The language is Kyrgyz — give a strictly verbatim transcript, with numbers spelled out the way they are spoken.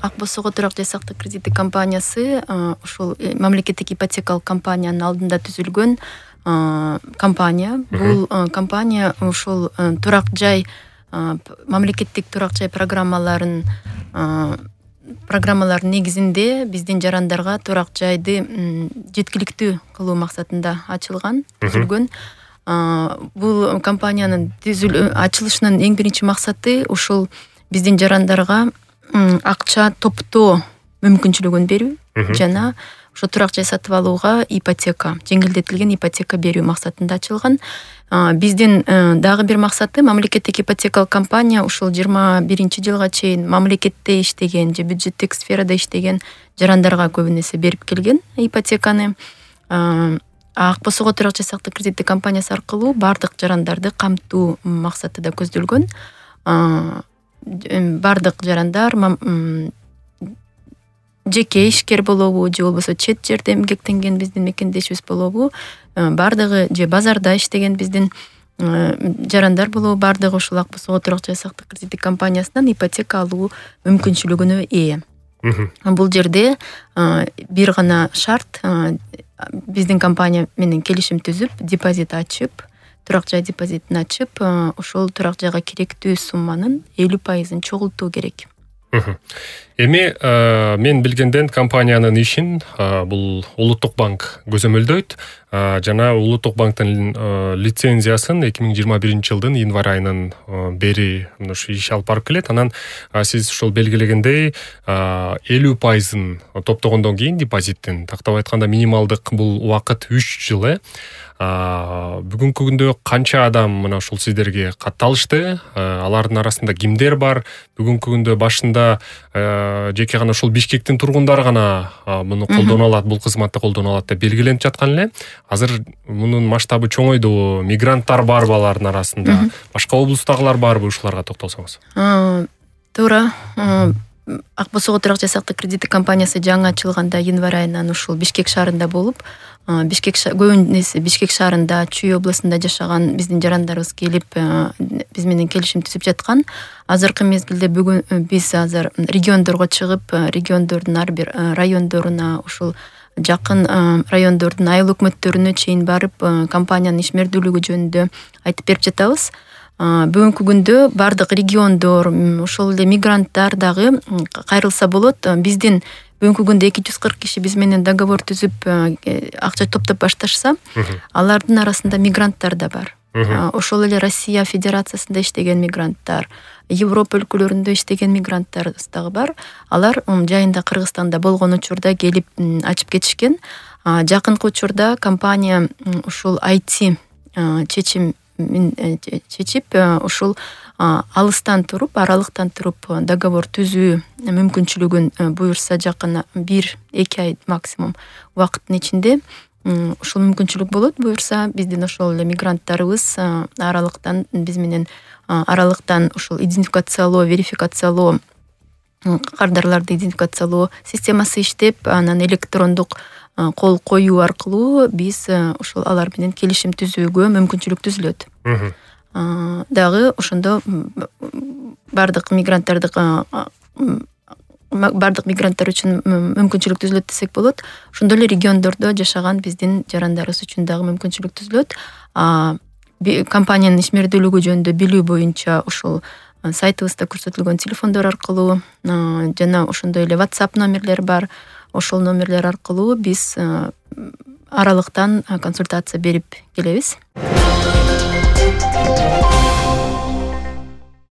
Ак Босого турак жай сактык кредиттик компаниясы ушул мамлекеттик ипотекалык компаниянын алдында түзүлгөн компания. Бул компания ушул турак жай мамлекеттик турак жай программаларын программалардын негизинде биздин жарандарга турак жайды жеткиликтүү кылуу максатында ачылган, түзүлгөн. Бул компаниянын ачылышынын эң биринчи максаты ушул биздин жарандарга акча топтоо мүмкүнчүлүгүн берүү жана ошо турак жай сатып алууга ипотека, жеңилдетилген ипотека берүү максатында ачылган. Биздин дагы бир максаты мамлекеттик ипотекалык компания ушул жыйырма биринчи жылга чейин мамлекетте иштеген же бюджеттик сферада иштеген жарандарга көбүн эсе берип келген ипотеканы. Ак Босого турак жай сактык кредиттик компаниясы аркылуу бардык жарандарды камтуу максаты да көздөлгөн. Бардык жарандар жеке ишкер болобу же болбосо чет жерде эмгектенген биздин мекендешибиз болобу, бардыгы же базарда иштеген биздин жарандар болобу, бардыгы ушул Ак Босого турак жай сактык кредиттик компаниясынан ипотека алуу мүмкүнчүлүгүнө ээ. Бул жерде бир гана шарт, биздин компания менен келишим түзүп, депозит ачып, турак жай депозитин ачып, ошол турак жайга керектүү сумманын элүү пайызын чогултуу керек. Эми мен билгенден компаниянын ишин бул Улуттук банк көзөмөлдөйт жана Улуттук банктын лицензиясын эки миң жыйырма биринчи жылдын январь айынан бери ушу иш алып барып келет. Анан сиз ушул белгилегендей элүү пайызын топтогондон кийин депозиттин, тактап айтканда минималдык бул убакыт үч жыл э. Бүгүнкү күндө канча адам мына ушул сиздерге катталышты? Алардын арасында кимдер бар? Бүгүнкү күндө башында жеке гана ушул Бишкектин тургундары гана муну колдоно алат, бул кызматты колдоно алат деп белгиленип жаткан эле. Азыр мунун масштабы чоңойдубу? Мигранттар барбы алардын арасында? Башка облустагылар барбы? Ушуларга токтолсоңуз. Туура. Ак Босого турак жай сактык кредиттик компаниясы жаңы ачылганда январь айынан ушул Бишкек шаарында болуп, Бишкек көбүнесе Бишкек шаарында, Чүй областында жашаган биздин жарандарыбыз келип, биз менен келишим түзүп жаткан. Азыркы мезгилде бүгүн биз азыр региондорго чыгып, региондордун ар бир райондоруна, ушул жакын райондордун айыл өкмөттөрүнө чейин барып, компаниянын ишмердүүлүгү жөнүндө айтып берип жатабыз. Бүгүнкү күндө бардык региондор, ошол эле мигранттар дагы кайрылса болот. Биздин бүгүнкү күндө эки жүз кырк киши биз менен договор түзүп акча топтоп башташса, алардын арасында мигранттар да бар. Ошол эле Россия Федерациясында иштеген мигранттар, Европа өлкөлөрүндө иштеген мигранттар дагы бар. Алар жайында Кыргызстанда болгон учурда келип ачып кетишкен. Жакынкы учурда компания ушул ай ти чечим чечип, ушул алыстан туруп, аралыктан туруп договор түзүү мүмкүнчүлүгүн буюрса жакын бир эки ай максимум убакыттын ичинде ушул мүмкүнчүлүк болот. Буюрса биздин ошол эле мигранттарыбыз аралыктан биз менен аралыктан ушул идентификациялоо, верификациялоо, кардарларды идентификациялоо системасы иштеп, анан электрондук кол коюу аркылуу биз ушул алар менен келишим түзүүгө мүмкүнчүлүк түзүлөт. Дагы ошондо бардык мигранттарды бардык мигранттар үчүн мүмкүнчүлүк түзүлөт десек болот. Ошондой эле региондордо жашаган биздин жарандарыбыз үчүн дагы мүмкүнчүлүк түзүлөт. Компаниянын ишмердүүлүгү жөнүндө билүү боюнча ушул сайтыбызда көрсөтүлгөн телефондор аркылуу жана ошондой эле WhatsApp номерлер бар. Ошол номерлер аркылуу биз аралыктан консультация берип келебиз.